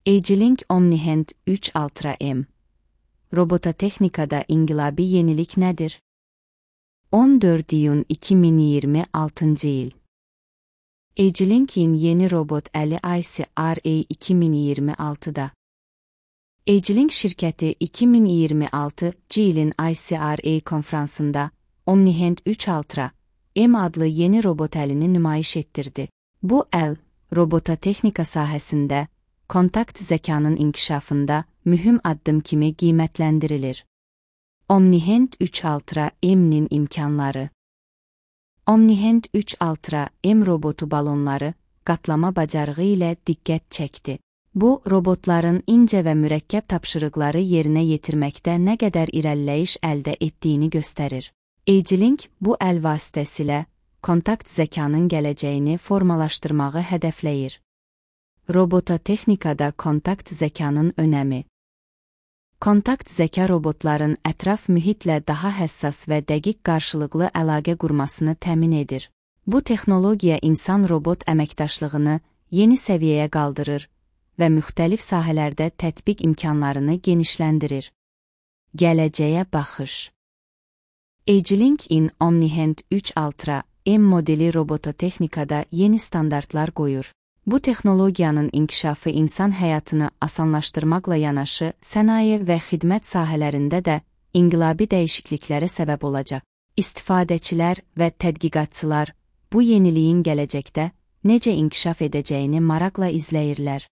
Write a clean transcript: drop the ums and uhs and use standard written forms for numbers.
AgeLink OmniHand 3 Ultra M. Robototexnikada inqilabi yenilik nədir? 14 iyun 2026 il. AgeLink'in yeni robot əli ICRA 2026'da. AgeLink şirkəti 2026 ilin ICRA konfransında OmniHand 3 Ultra M adlı yeni robot əlini nümayiş etdirdi. Bu əl, robototexnika sahəsində, kontakt zəkanın inkişafında mühüm addım kimi qiymətləndirilir. OmniHand 3 Ultra M'nin imkanları. OmniHand 3 Ultra M robotu balonları, qatlama bacarığı ilə diqqət çəkdi. Bu, robotların incə və mürəkkəb tapşırıqları yerinə yetirməkdə nə qədər irəliləyiş əldə etdiyini göstərir. AgeLink bu əl vasitəsilə kontakt zəkanın gələcəyini formalaşdırmağı hədəfləyir. Robototexnikada kontakt zəkanın önəmi. Kontakt zəka robotların ətraf mühitlə daha həssas və dəqiq qarşılıqlı əlaqə qurmasını təmin edir. Bu texnologiya insan-robot əməkdaşlığını yeni səviyyəyə qaldırır və müxtəlif sahələrdə tətbiq imkanlarını genişləndirir. Gələcəyə baxış. AgeLink-in OmniHand 3 Ultra M modeli robototexnikada yeni standartlar qoyur. Bu texnologiyanın inkişafı insan həyatını asanlaşdırmaqla yanaşı, sənaye və xidmət sahələrində də inqilabi dəyişikliklərə səbəb olacaq. İstifadəçilər və tədqiqatçılar bu yeniliyin gələcəkdə necə inkişaf edəcəyini maraqla izləyirlər.